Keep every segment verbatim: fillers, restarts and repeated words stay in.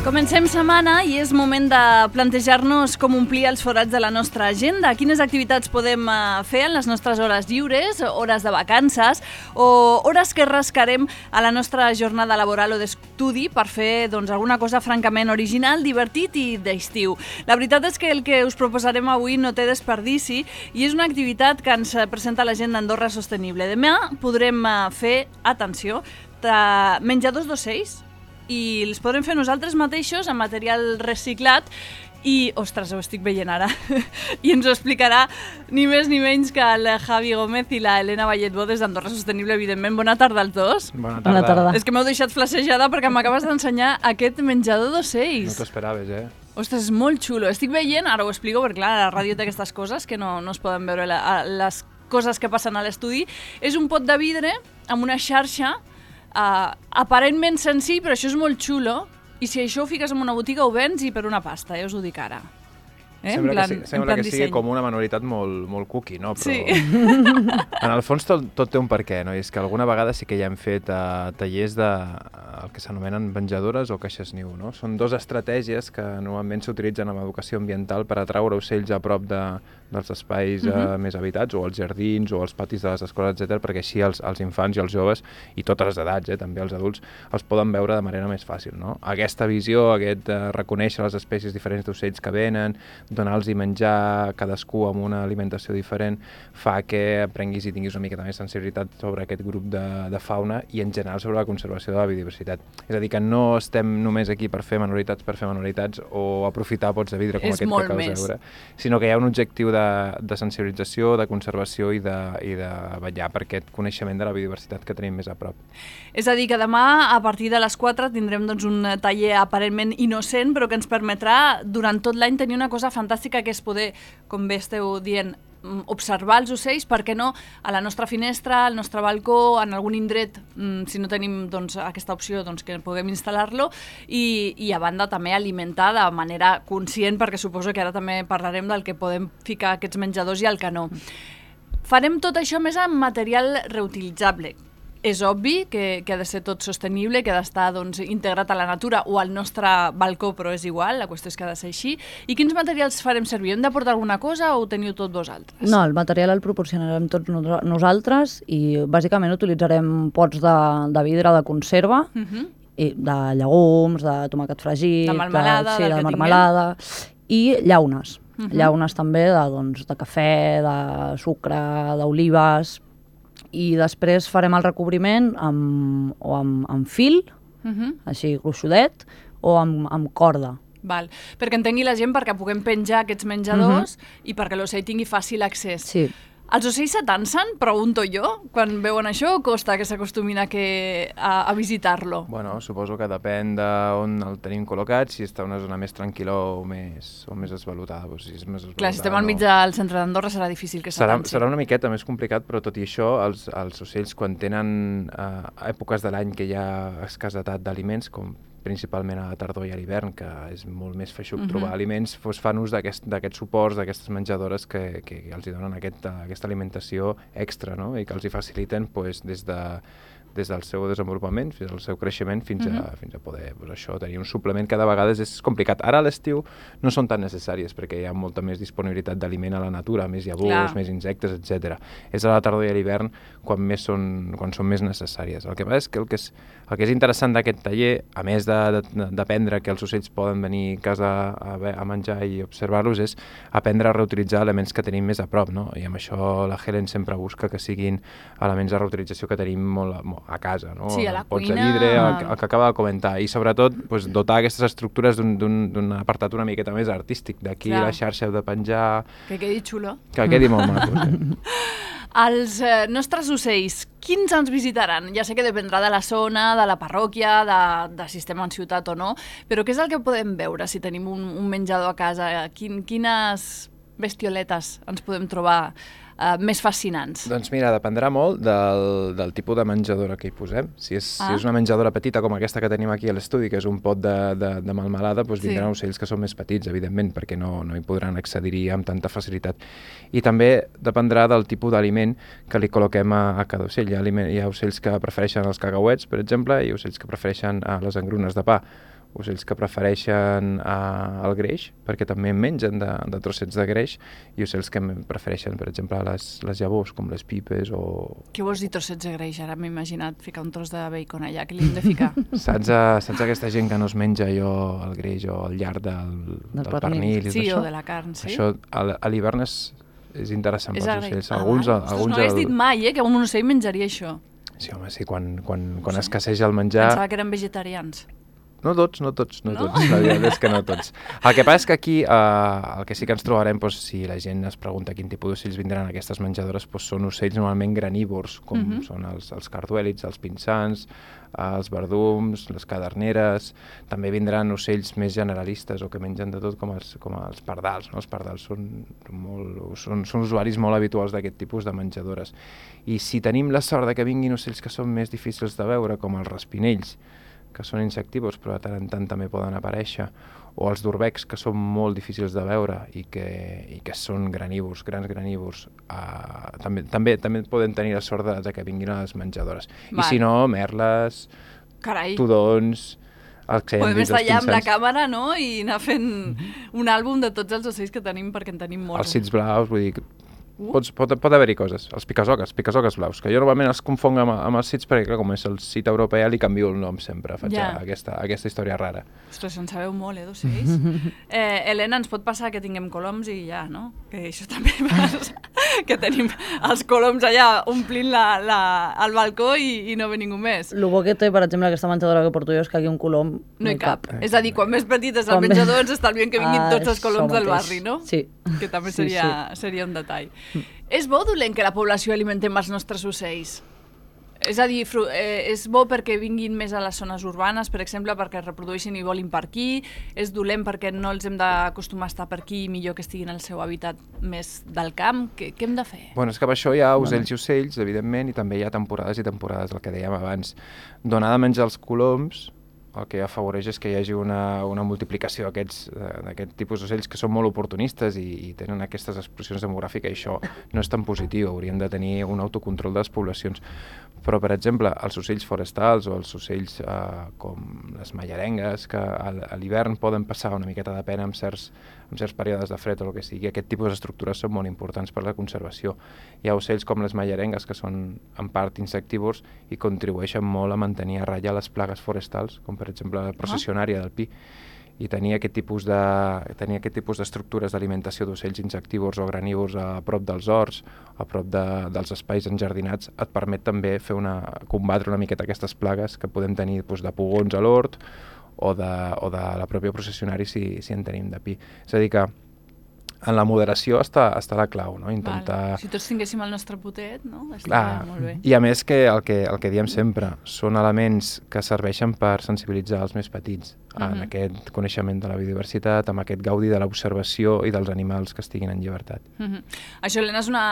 Comencem setmana i és moment de plantejar-nos com omplir els forats de la nostra agenda. Quines activitats podem fer en les nostres hores lliures, hores de vacances o hores que rascarem a la nostra jornada laboral o d'estudi per fer doncs, alguna cosa francament original, divertit i d'estiu. La veritat és que el que us proposarem avui no té desperdici i és una activitat que ens presenta l'agenda Andorra Sostenible. Demà podrem fer, atenció, menjadors d'ocells, i els podrem fer nosaltres mateixos amb material reciclat i, ostres, ho estic veient ara, i ens ho explicarà ni més ni menys que el Javi Gómez i la Helena Valletbó des d'Andorra Sostenible, evidentment. Bona tarda als dos. Bona tarda. Bona tarda. És que m'heu deixat flashejada perquè m'acabes d'ensenyar aquest menjador d'ocells. No t'ho esperaves, eh? Ostres, és molt xulo. Estic veient, ara ho explico, perquè clar, la ràdio té aquestes coses que no, no es poden veure, la, les coses que passen a l'estudi. És un pot de vidre amb una xarxa Uh, aparentment senzill, però això és molt xulo, i si això ho fiques en una botiga ho vens i per una pasta, ja us ho dic ara. Eh? Sembla, plan, que, sí, sembla que sigui com una manualitat molt, molt cookie, no? Però sí. En el fons tot, tot té un per què, no? I és que alguna vegada sí que ja hem fet uh, tallers de el que s'anomenen menjadores o caixes niu, no? Són dues estratègies que normalment s'utilitzen en educació ambiental per atraure ocells a prop de, dels espais uh, uh-huh. més habitats, o als jardins, o als patis de les escoles, etcètera, perquè així els, els infants i els joves, i totes les edats, eh, també els adults, els poden veure de manera més fàcil, no? Aquesta visió, aquest uh, reconèixer les espècies diferents d'ocells que venen, donar-los i menjar cadascú amb una alimentació diferent, fa que aprenguis i tinguis una miqueta més sensibilitat sobre aquest grup de, de fauna i en general sobre la conservació de la biodiversitat. És a dir, que no estem només aquí per fer manualitats per fer manualitats o aprofitar pots de vidre com és aquest que acabes de veure, sinó que hi ha un objectiu de, de sensibilització, de conservació i de, i de vetllar per aquest coneixement de la biodiversitat que tenim més a prop. És a dir, que demà a partir de les quatre tindrem doncs, un taller aparentment innocent, però que ens permetrà durant tot l'any tenir una cosa fantàstica que és poder, com bé esteu dient, observar els ocells, per què no, a la nostra finestra, al nostre balcó, en algun indret, si no tenim doncs, aquesta opció, doncs, que puguem instal·lar-lo, i, i a banda també alimentar de manera conscient, perquè suposo que ara també parlarem del que podem ficar aquests menjadors i el que no. Farem tot això més amb material reutilitzable. És obvi que, que ha de ser tot sostenible, que ha d'estar doncs, integrat a la natura o al nostre balcó, però és igual, la qüestió és que ha de ser així. I quins materials farem servir? Hem de portar alguna cosa o ho teniu tot vosaltres? No, el material el proporcionarem tots nosaltres i bàsicament utilitzarem pots de, de vidre de conserva, uh-huh. i de llegums, de tomàquet fregit, de marmelada, de, sí, de marmelada i llaunes. Uh-huh. Llaunes també de, doncs, de cafè, de sucre, d'olives. I després farem el recobriment amb, o amb, amb fil, uh-huh. així gruixudet, o amb, amb corda. Val. Perquè entengui la gent, perquè puguem penjar aquests menjadors uh-huh. i perquè l'ocell tingui fàcil accés. Sí. Els ocells s'atansen, pregunto jo, quan veuen això, o costa que s'acostumin a, que, a, a visitar-lo? Bueno, suposo que depèn d'on el tenim col·locat, si està en una zona més tranquil·la o més, o més esvalutada. Doncs si és més esvalutada. Clar, si estem al mig del centre d'Andorra serà difícil que s'atansi. Serà, serà una miqueta més complicat, però tot i això, els, els ocells, quan tenen eh, èpoques de l'any que hi ha escassetat d'aliments, com principalment a la tardor i a l'hivern, que és molt més feixuc uh-huh. trobar aliments, doncs fan ús d'aquests aquest suports, d'aquestes menjadores que, que els donen aquest, aquesta alimentació extra, no? I que els hi faciliten doncs, des de des del seu desenvolupament fins al seu creixement fins a, uh-huh. fins a poder doncs, això, tenir un suplement que de vegades és complicat. Ara a l'estiu no són tan necessàries perquè hi ha molta més disponibilitat d'aliment a la natura, més llavors, Clar. més insectes, etcètera. És a la tardor i a l'hivern quan, més són, quan són més necessàries. El que passa és que el que és, el que és interessant d'aquest taller, a més d'aprendre que els ocells poden venir a casa a, a menjar i observar-los, és aprendre a reutilitzar elements que tenim més a prop, no? I amb això la Helen sempre busca que siguin elements de reutilització que tenim molt, molt a casa, no? Sí, a la Pots cuina. de vidre, el, el que acaba de comentar, i sobretot pues, dotar aquestes estructures d'un apartat una miqueta més artístic, d'aquí la xarxa de penjar... Que quedi xulo. Que quedi molt maco, sí. Els eh, nostres ocells, quins ens visitaran? Ja sé que dependrà de la zona, de la parròquia, de, de si estem en ciutat o no, però què és el que podem veure si tenim un, un menjador a casa? Quin, quines bestioletes ens podem trobar uh, més fascinants? Doncs mira, dependrà molt del, del tipus de menjadora que hi posem. Si és, ah. si és una menjadora petita com aquesta que tenim aquí a l'estudi, que és un pot de, de, de melmelada, doncs vindran sí. ocells que són més petits, evidentment, perquè no, no hi podran accedir-hi amb tanta facilitat. I també dependrà del tipus d'aliment que li col·loquem a, a cada ocell. Hi ha, aliment, hi ha ocells que prefereixen els cacauets, per exemple, i ocells que prefereixen a les engrunes de pa. ocells que prefereixen uh, el greix, perquè també mengen de, de trossets de greix, i ocells que prefereixen, per exemple, les, les llavors, com les pipes o... Què vols dir trossets de greix? Ara m'he imaginat ficar un tros de bacon allà, que li hem de ficar. Saps, uh, saps aquesta gent que no es menja allò, el greix o el llarg del, del, del pernil? Sí, o de la carn, sí. Això a, a l'hivern és, és interessant és pels ocells. Ah, alguns, Ostres, alguns no hagués el... dit mai, eh, que un ocell menjaria això. Sí, home, sí, quan, quan, quan sí. escasseja el menjar... Pensava que eren vegetarians. No tots, no tots, no, no? tots, la veritat és que no tots. El que passa és que aquí eh, el que sí que ens trobarem, doncs, si la gent es pregunta quin tipus d'ocells vindran a aquestes menjadores, doncs són ocells normalment granívors, com uh-huh. són els, els carduèlids, els pinsans, els verdums, les caderneres. També vindran ocells més generalistes o que mengen de tot, com els, com els pardals. No? Els pardals són, molt, són, són usuaris molt habituals d'aquest tipus de menjadores. I si tenim la sort de que vinguin ocells que són més difícils de veure, com els raspinells, que són insectívors però de tant en tant també poden aparèixer, o els d'urbecs, que són molt difícils de veure i que, i que són granívors, grans granívors, uh, també, també, també poden tenir la sort de, de que vinguin a les menjadores. Val. I si no, merles, Carai. tudons, els cèndids, podem estar allà amb la pinsans. càmera, no?, i anar fent un àlbum de tots els ocells que tenim, perquè en tenim molts. Els cits blaus, vull dir... Uh. Pots, pot, pot haver-hi coses. Els picasoques, picasoques blaus, que jo normalment els confonc amb, amb els cits perquè, clar, com és el cit europeu, li canvio el nom sempre. Faig yeah. aquesta, aquesta història rara. Ostres, en sabeu molt, eh, d'ocells. eh, Helena, ens pot passar que tinguem coloms i ja, no? Que això també passa. Que tenim els coloms allà omplint la, la, el balcó i, i no ve ningú més. El bo que té, per exemple, aquesta menjadora que porto jo és que aquí un colom no hi cap. cap. És a dir, quan més petit és el menjador, ens estalviem que vinguin ah, tots els coloms del barri, no? Sí. Que també sí, seria, sí. seria un detall. Mm. És bo o dolent que la població alimentem els nostres ocells? És a dir, eh, és bo perquè vinguin més a les zones urbanes, per exemple, perquè es reprodueixin i volin per aquí, és dolent perquè no els hem d'acostumar a estar per aquí i millor que estiguin al seu hàbitat més del camp. Què, què hem de fer? Bueno, és que per això hi ha ocells i ocells, evidentment, i també hi ha temporades i temporades, el que dèiem abans. Donar de menjar els coloms, el que afavoreix és que hi hagi una, una multiplicació d'aquest tipus d'ocells que són molt oportunistes i, i tenen aquestes explosions demogràfiques, i això no és tan positiu, hauríem de tenir un autocontrol de les poblacions. Però, per exemple, els ocells forestals o els ocells eh, com les mallarengues, que a, a l'hivern poden passar una miqueta de pena amb certs, amb certs períodes de fred o el que sigui, aquest tipus d'estructures són molt importants per la conservació. Hi ha ocells com les mallarengues, que són en part insectívors i contribueixen molt a mantenir a ratlla les plagues forestals, com per exemple la processionària del pi, i tenir aquest tipus de tenir aquest tipus d'estructures d'alimentació d'ocells insectívors o granívors a prop dels horts, a prop de, dels espais enjardinats, et permet també fer una, combatre una miqueta aquestes plagues que podem tenir doncs, de pugons a l'hort o de, o de la pròpia processionària si, si en tenim de pi. És a dir que en la moderació està, està la clau, no? Intentar... Val. Si tots tinguéssim el nostre potet, no? Clar, molt bé. I a més que el, que el que diem sempre són elements que serveixen per sensibilitzar els més petits uh-huh. en aquest coneixement de la biodiversitat, amb aquest gaudi de l'observació i dels animals que estiguin en llibertat. Uh-huh. Això, Helena, és una,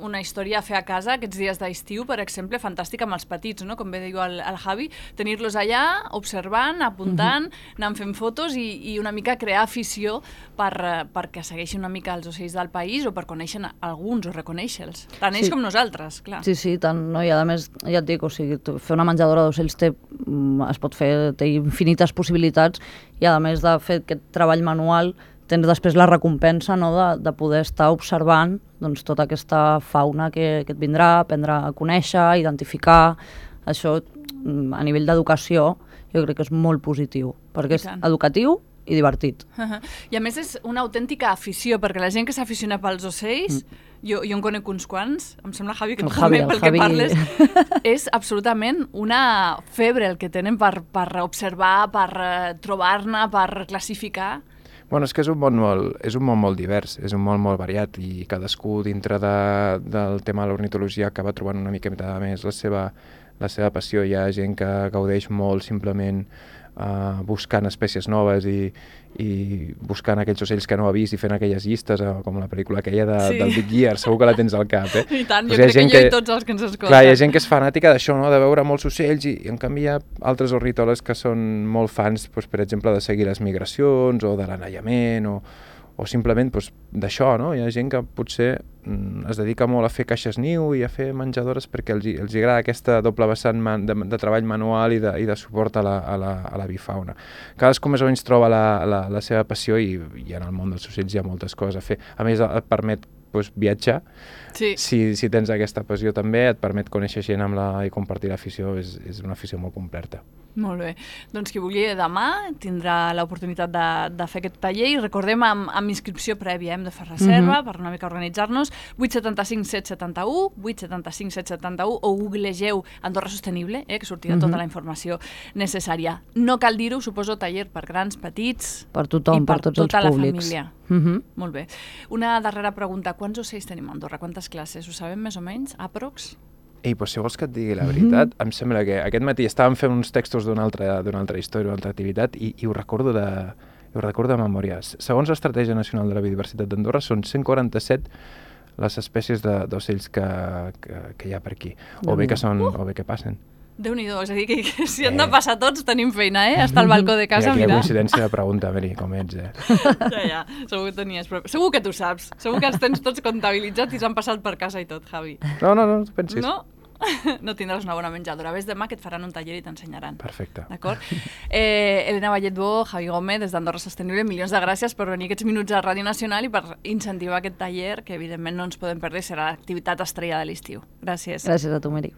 una història a fer a casa aquests dies d'estiu, per exemple, fantàstica amb els petits, no? Com bé diu el, el Javi, tenir-los allà, observant, apuntant, uh-huh. anant fent fotos i, i una mica crear afició per, perquè segueixin una mica els ocells del país o per conèixer alguns o reconèixer-los. Tant ells sí. com nosaltres, clar. Sí, sí, tant, no? I a més, ja et dic, o sigui, fer una menjadora d'ocells té, es pot fer, té infinites possibilitats i a més de fer aquest treball manual tens després la recompensa, no?, de, de poder estar observant doncs, tota aquesta fauna que, que et vindrà, aprendre a conèixer, identificar. Això a nivell d'educació jo crec que és molt positiu, perquè és educatiu i divertit. Uh-huh. I a més és una autèntica afició, perquè la gent que s'aficiona pels ocells, mm. jo, jo en conec uns quants, em sembla, Javi, que tu també, pel Javi... que parles, és absolutament una febre el que tenen per, per observar, per uh, trobar-ne, per classificar. Bueno, és que és un món molt, és un món molt divers, és un món molt variat i cadascú dintre de, del tema de l'ornitologia acaba trobant una mica més la seva, la seva passió. Hi ha gent que gaudeix molt simplement Uh, buscant espècies noves i, i buscant aquells ocells que no ha vist i fent aquelles llistes, uh, com la pel·lícula aquella de, sí. del Big Year, segur que la tens al cap, eh? I tant, pues jo crec que jo que, i tots els que ens escolten. Clar, hi ha gent que és fanàtica d'això, no?, de veure molts ocells i, i en canvi hi ha altres ornitòlegs que són molt fans, pues, per exemple, de seguir les migracions o de l'anellament o, o simplement doncs, d'això, no? Hi ha gent que potser mm, es dedica molt a fer caixes niu i a fer menjadores perquè els, els agrada aquesta doble vessant man, de, de treball manual i de, i de suport a la, a la, a la bifauna. Cadascú més o menys troba la, la, la seva passió i, i en el món dels ocells hi ha moltes coses a fer. A més, et permet doncs, viatjar. Sí. Si, si tens aquesta passió també, et permet conèixer gent amb la, i compartir l'afició, és, és una afició molt completa. Molt bé. Doncs qui vulgui demà tindrà l'oportunitat de, de fer aquest taller i recordem amb, amb inscripció prèvia, hem de fer reserva mm -hmm. per una mica organitzar-nos, vuit set cinc set set u, vuit set cinc set set u o googlegeu Andorra Sostenible, eh, que sortirà mm -hmm. tota la informació necessària. No cal dir-ho, suposo, taller per grans, petits... Per tothom, i per, per tots tota els la públics. família. Mm -hmm. Molt bé. Una darrera pregunta. Quants ocells tenim a Andorra? Quantes classes? Ho sabem més o menys? Aprox? Ei, doncs si vols que et digui la veritat, mm -hmm. em sembla que aquest matí estàvem fent uns textos d'una altra, d'una altra història, d'una altra activitat, i, i ho recordo de, ho recordo de memòria. Segons l'Estratègia Nacional de la Biodiversitat d'Andorra, són cent quaranta-set les espècies d'ocells que, que, que hi ha per aquí, o bé que, són, uh! o bé que passen. Déu-n'hi-do, és a dir, que, que si hem de passar tots tenim feina, eh? Està al balcó de casa, mira. mira. Quina coincidència de pregunta, Meri, com ets, eh? Ja, ja, segur que tenies, però segur que tu saps. Segur que els tens tots comptabilitzats i s'han passat per casa i tot, Javi. No, no, no, no pensis. No? No tindràs una bona menjadora. Ves demà que et faran un taller i t'ensenyaran. Perfecte. D'acord? Eh, Elena Valletbó, Javi Gómez, des d'Andorra Sostenible, milions de gràcies per venir aquests minuts a Ràdio Nacional i per incentivar aquest taller, que evidentment no ens podem perdre, serà l'activitat estrella de l'estiu. Gràcies. Gràcies a tu, Meri.